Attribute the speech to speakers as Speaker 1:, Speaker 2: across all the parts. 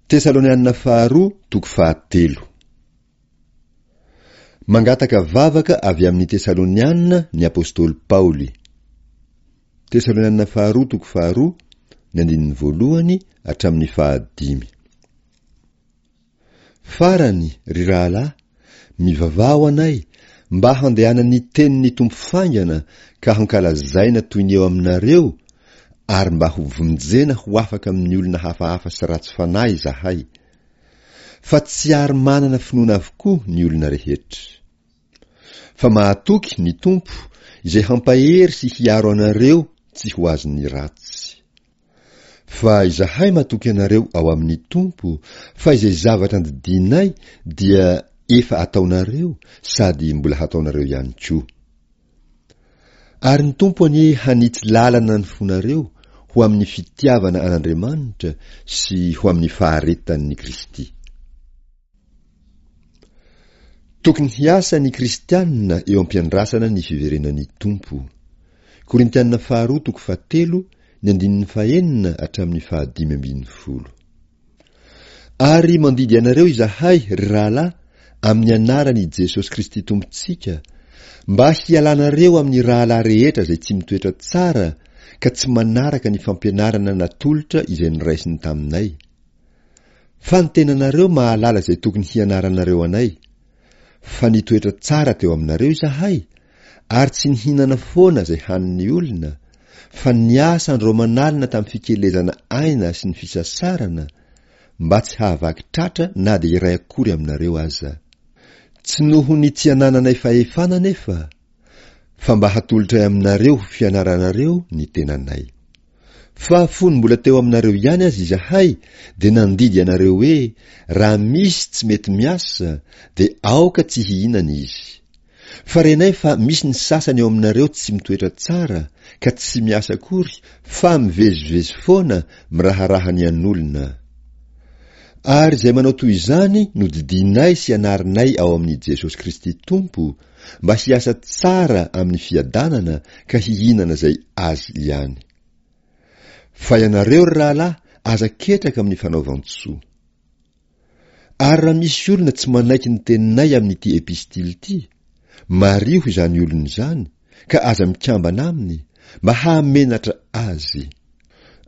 Speaker 1: Tesalonianina faharoa toko fahatelo. Mangataka vavaka avy amin'ny Tesalonianina ny apostoly Paoly. Tesalonianina faharoa toko faharoa, ny andininy voalohany hatramin'ny fahadimy. Farany, ry rahalahy, mivavaha ho anay, mba handehanan'ny tenin'ny Tompo faingana ka hankalazaina toy ny eo aminareo, ary mba ho vonjena ho afaka amin'ny olona hafahafa sy ratsy fanahy izahay. Fa tsy ary manana finoana avokoa ny olona rehetra. Fa mahatoky ny Tompo izay hampahery sy hiaro anareo tsy ho azon'ny ratsy. Fa izahay matoky anareo ao amin'ny Tompo fa izay zavatra andidianay dia efa ataonareo sady mbola hataonareo ihany koa. Ary ny Tompo anie hanitsy lalana ny fonareo ho amin'ny fitiavana an'Andriamanitra sy ho amin'ny faharetan'i Kristy. Tokony hiasa ny kristianina eo am-piandrasana ny fiverenan'ny Tompo. Korintianina faharoa toko fahatelo ny andininy fahenina hatramin'ny fahadimy ambin'ny folo. Ary mandidy anareo izahay, ry rahalahy, amin'ny anaran' i Jesosy Kristy Tompontsika, mba hialanareo amin'ny rahalahy rehetra izay tsy mitoetra tsara ka tsy manaraka ny fampianarana natolotra izay noraisiny taminay. Fa ny tenanareo mahalala izay tokony hianaranareo anay, fa nitoetra tsara teo aminareo izahay, ary tsy nihinana foana izay hanin'ny olona, fa niasa andro aman'alina tamin'ny fikelezana aina sy ny fisasarana, mba tsy hahavaky tratra na dia iray akory aminareo aza. Tsy noho ny tsy anananay fahefana anefa, fa mba hatolotray aminareo ho fianaranareo ny tenanay. Fa fony mbola teo aminareo ihany aza izahay dia nandidy anareo hoe raha misy tsy mety miasa dia aoka tsy hihinana izy. Fa renay fa misy ny sasany eo aminareo tsy mitoetra tsara ka tsy miasa akory fa mivezivezy foana miraharaha ny an'olona. Ary izay manao toy izany no didianay sy anarinay ao amin'i Jesosy Kristy Tompo mba hiasa tsara amin'ny fiadanana ka hihinana izay azy ihany. Fa ianareo ry rahalahy aza ketraka amin'ny fanaovan-tsoa. Ary raha misy olona tsy manaiky ny teninay amin'ity epistily ity, mariho izany olona izany ka aza mikambana aminy, mba hahamenatra azy.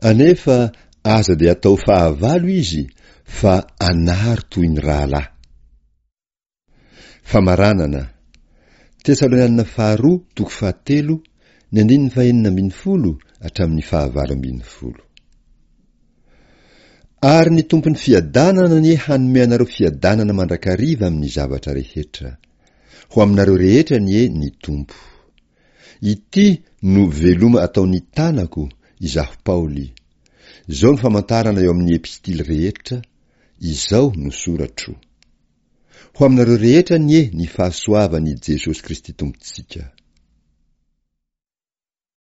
Speaker 1: Anefa aza dia atao fahavalo izy fa anaro toy ny rahalahy. Famaranana. Tesalonianina faharoa toko fahatelo ny andininy fahenina ambin'ny folo hatramin'ny fahavalo ambin'ny folo. Ary ny Tompon'ny fiadanana anie hanome anareo fiadanana mandrakariva amin'ny zavatra rehetra. Ho aminareo rehetra anie ny Tompo. Ity no veloma ataon'ny tanako, izaho Paoly. Izao no famantarana eo amin'ny epistily rehetra, izao no soratro. Ho aminareo rehetra anie ny fahasoavan'i Jesosy Kristy Tompontsika.